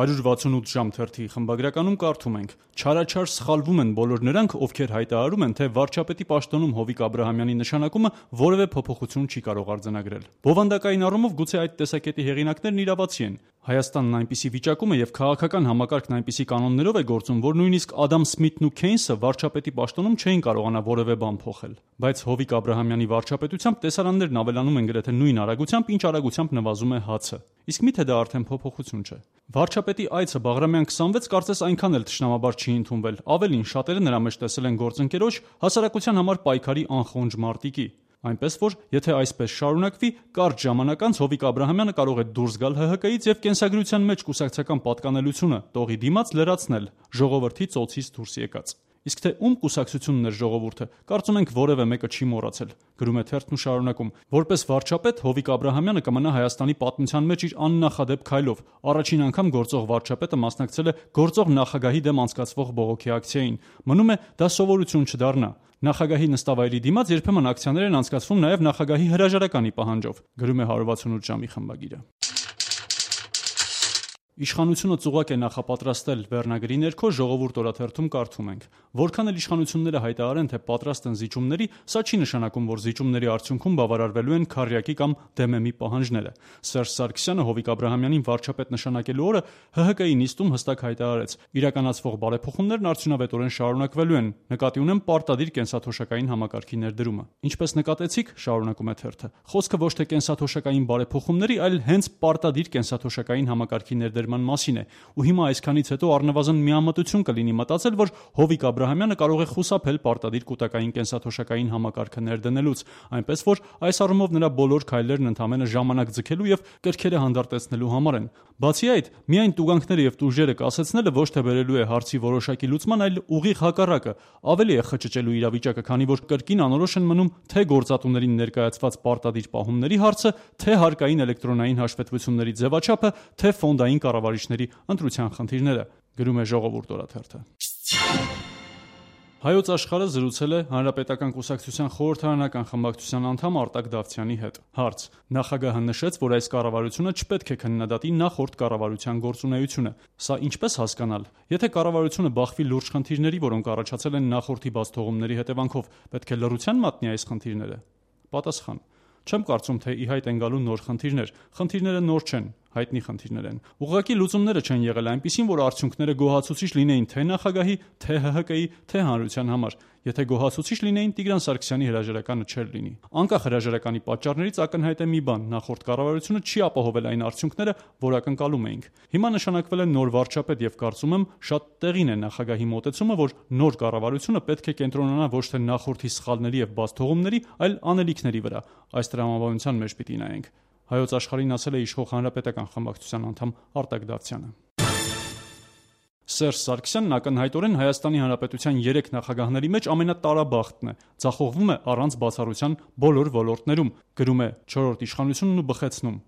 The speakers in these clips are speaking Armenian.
168 ժամ թերթի խմբագրականում կարդում ենք. «Չարաչար սխալվում են բոլոր նրանք, ովքեր հայտարարում են, թե վարչապետի պաշտոնում Հովիկ Աբրահամյանի նշանակումը որևէ փոփոխություն չի կարող արձանագրել։ Բովանդակային առումով գուցե այդ տեսակետի հեղինակներն իրավացի են։ Հայաստանն այնպիսի վիճակում է եւ քաղաքական համակարգն այնպիսի կանոններով է գործում, որ նույնիսկ Ադամ Սմիթն ու Քեյնսը վարչապետի պաշտոնում չէին կարողանա որևէ բան փոխել։ Բայց Հովիկ Աբրահամյանի վարչապետությամբ տեսարաններն ավելանում են գրեթե նույն արագությամբ, ինչ արագությամբ նվազում է հացը։ Իսկ միթե դա արդեն փոփոխություն չէ։ Վարչապետի այցը Բաղրամյան 26 կարծես այնքան էլ թշնամաբար չի ընդունվել։ Ավելին, շատերը նրա մեջ տեսել են գործընկերոջ հասարակության համար պայքարի անխոնջ մարտիկի։ Այնպես որ, եթե այսպես շարունակվի, կարճ ժամանակ անց Հովիկ Աբրահամյանը կարող է դուրս գալ ՀՀԿ-ից եւ կենսագրության մեջ կուսակցական պատկանելությունը տողի դիմաց լրացնել, ժողովրդի ծոցից դուրս եկած։ Իսկ թե ում կուսակցությունն էր ժողովուրդը, կարծում ենք որևէ մեկը չի մոռացել։ Գրում է թերթն ու շարունակում. որպես վարչապետ Հովիկ Աբրահամյանը կմնա Հայաստանի պատմության մեջ իր աննախադեպ քայլով։ Առաջին անգամ գործող վարչապետը մասնակցել է գործող նախագահի դեմ անցկացվող բողոքի ակցիային։ Մնում է դա սովորություն չդառնա։ Նախագահի նստավայրի դիմաց երբեմն ակցիաներ են անցկացվում նաև նախագահի հրաժարականի պահանջով։ Գրում է 168 ժամի խմբագիրը։ Իշխանությունը ծուղակ է նախապատրաստել վերնագրի ներքո ժողովուրդ օրաթերթում կարդում ենք. որքան էլ իշխանությունները հայտարարեն, թե պատրաստ են զիջումների, սա չի նշանակում, որ զիջումների արդյունքում բավարարվելու են քարյակի կամ ԴՄՄ-ի պահանջները։ Սերժ Սարգսյանը Հովիկ Աբրահամյանին վարչապետ նշանակելու օրը ՀՀԿ-ի նիստում հստակ հայտարարեց. իրականացվող բարեփոխումներն արդյունավետորեն շարունակվելու են, նկատի ունեմ պարտադիր կենսաթոշակային համակարգի ներդրումը։ Ինչպես նկատեցիք, շարունակում է թերթը, խոսքը ոչ թե կենսաթոշակային բարեփոխումների, այլ հենց պարտադիր կենսաթոշակային համակարգի ներդրման մասին է, ու հիմա այսքանից հետո առնվազն միամտություն կլինի մտածել, որ Հովիկ Աբրահամյանը կարող է խուսափել պարտադիր կൂട്ടակային կենսաթոշակային համակարգը ներդնելուց, այնպես որ այս առումով նրա բոլոր քայլերն ընդամենը ժամանակ ձգելու եւ կրքերը հանդարտեցնելու համար են։ Բացի այդ, միայն տուգանքները եւ տուժերը կասեցնելը ոչ թե բերելու է հարցի որոշակի լուծման, այլ ուղիղ հակառակը, ավելի է խճճելու իրավիճակը, քանի որ կրկին անորոշ են մնում թե գործատուներին ներկայացված պարտադիր պահումների հարցը, թե հարկային էլեկտրոնային հաշվետվությունների ձևաչափը, թե ֆոնդային կառավարիչների ընտրության խնդիրները։ Գրում է Ժողովուրդ օրաթերթը։ Հայոց աշխարհը զրուցել է Հանրապետական կուսակցության խորհրդարանական խմբակցության անդամ Արտակ Դավթյանի հետ։ Հարց. նախագահը նշեց, որ այս կառավարությունը չպետք է քննադատի նախորդ կառավարության գործունեությունը։ Սա ինչպես հասկանալ։ Եթե կառավարությունը բախվի լուրջ խնդիրների, որոնք առաջացել են նախորդի բացթողումների հետևանքով, պետք է լռության մատնի այս խնդիրները։ Պատասխան. չեմ կարծում, թե ի հայտ են գալու նոր խնդիրներ։ Խնդիրները նոր չեն, հայտնի խնդիրներ են։ Ուղղակի լուծումները չեն եղել այնպիսին, որ արդյունքները գոհացուցիչ լինեին թե նախագահի, թե ՀՀԿ-ի, թե հանրության համար։ Եթե գոհացուցիչ լինեին, Տիգրան Սարգսյանի հրաժարականը չէր լինի։ Անկախ հրաժարականի պատճառներից ակնհայտ է մի բան՝ նախորդ կառավարությունը չի ապահովել այն արդյունքները, որ ակնկալում էինք։ Հիմա նշանակվել է նոր վարչապետ եւ կարծում եմ շատ տեղին է նախագահի մոտեցումը, որ նոր կառավարությունը պետք է կենտրոնանա ոչ թե նախորդի սխալների եւ բացթողումների, այլ անելիքների վրա։ Այս տրամաբանության մեջ պիտի նայենք։ Հայոց աշխարհին ասել է իշխող Հանրապետական խմբակցության անդամ Արտակ Դավթյանը։ Սերժ Սարգսյանն ակնհայտորեն Հայաստանի Հանրապետության 3 նախագահների մեջ ամենատարաբախտն է, ձախողվում է առանց բացառության բոլոր ոլորտներում, գրում է 4-րդ իշխանությունն ու բխեցնում։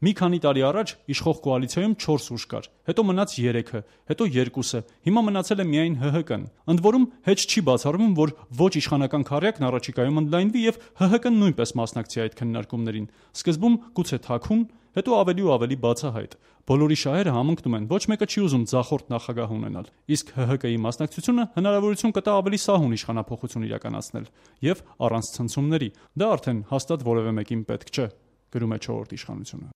Մի քանի տարի առաջ իշխող կոալիցիայում 4 ուժ կար, հետո մնաց 3-ը, հետո 2-ը, հիմա մնացել է միայն ՀՀԿ-ն։ Ընդ որում հետ չի բացառվում, որ ոչ իշխանական քառյակն առաջիկայում ընդլայնվի եւ ՀՀԿ-ն նույնպես մասնակցի այդ քննարկումներին։ Սկզբում գուցե թաքուն, հետո ավելի ու ավելի բացահայտ։ Բոլորի շահերը համընկնում են, ոչ մեկը չի ուզում ձախորդ նախագահ ունենալ։ Իսկ ՀՀԿ-ի մասնակցությունը հնարավորություն կտա ավելի սահուն իշխանափոխություն իրականացնել եւ առանց ցնցումների։ Դա արդեն հաստատ որևէ մեկին պետք չէ, գրում է 4-րդ իշխանությունը։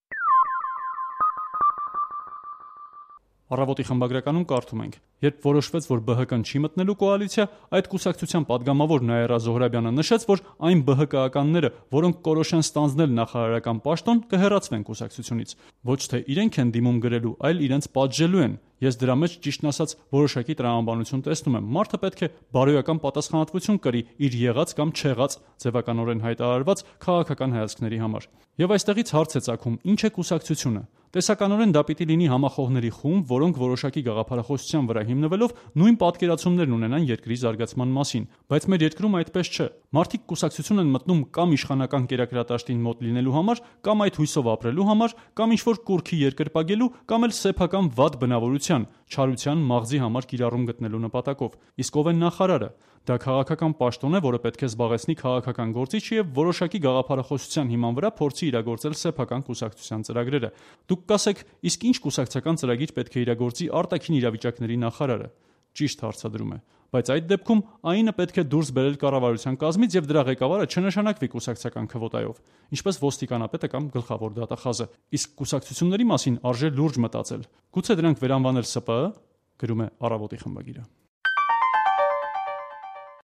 Առավոտի խմբագրականում կարդում ենք. երբ որոշվեց, որ ԲՀԿ-ն չի մտնելու կոալիցիա, այդ կուսակցության падգամավոր Նաիրա Զոհրաբյանը նշեց, որ այն ԲՀԿ-ականները, որոնք կորոշեն ստանձնել նախարարական պաշտոն, կհեռացվեն կուսակցությունից։ Ոչ թե իրենք են դիմում գրելու, այլ իրենց պատժելու են։ Ես դրա մեջ ճիշտն ասած որոշակի տրամաբանություն տեսնում եմ։ Մարդը պետք է բարոյական պատասխանատվություն կրի իր եղած կամ չեղած ձևականորեն հայտարարված քաղաքական հայացքների համար։ Եվ այստեղից հարց է ծագում. ինչ է կուսակցությունը։ Տեսականորեն դա պիտի լինի համախոհների խումբ, որոնք որոշակի գաղափարախոսության վրա հիմնվելով նույն պատկերացումներն ունենան երկրի զարգացման մասին, բայց մեր երկրում այդպես չէ։ Մարդիկ կուսակցություն են մտնում կամ իշխանական կերակրատաշտին մոտ լինելու համար, կամ այդ հույսով ապրելու համար, կամ ինչ-որ կուռքի երկրպագելու, կամ էլ սեփական վատ բնավորության, չարության, մաղձի համար կիրառում գտնելու նպատակով։ Իսկ ով է նախարարը։ Դա քաղաքական պաշտոն է, որը պետք է զբաղեցնի քաղաքական գործիչը եւ որոշակի գաղափարախոսության հիման վրա փորձի իրագործել սեփական կուսակցության ծրագրերը։ Դուք կասեք, իսկ ինչ կուսակցական ծրագիր պետք է իրագործի արտաքին իրավիճակների նախարարը։ Ճիշտ հարցադրում է, բայց այդ դեպքում ԱԻՆ-ը պետք է դուրս բերել կառավարության կազմից եւ դրա ղեկավարը չնշանակվի կուսակցական քվոտայով, ինչպես ոստիկանապետը կամ գլխավոր դատախազը։ Իսկ կուսակցությունների մասին արժե լուրջ մտածել։ Գուցե դրանք վերանվանել ՍՊԸ, գրում է Առավոտի խմբագիրը։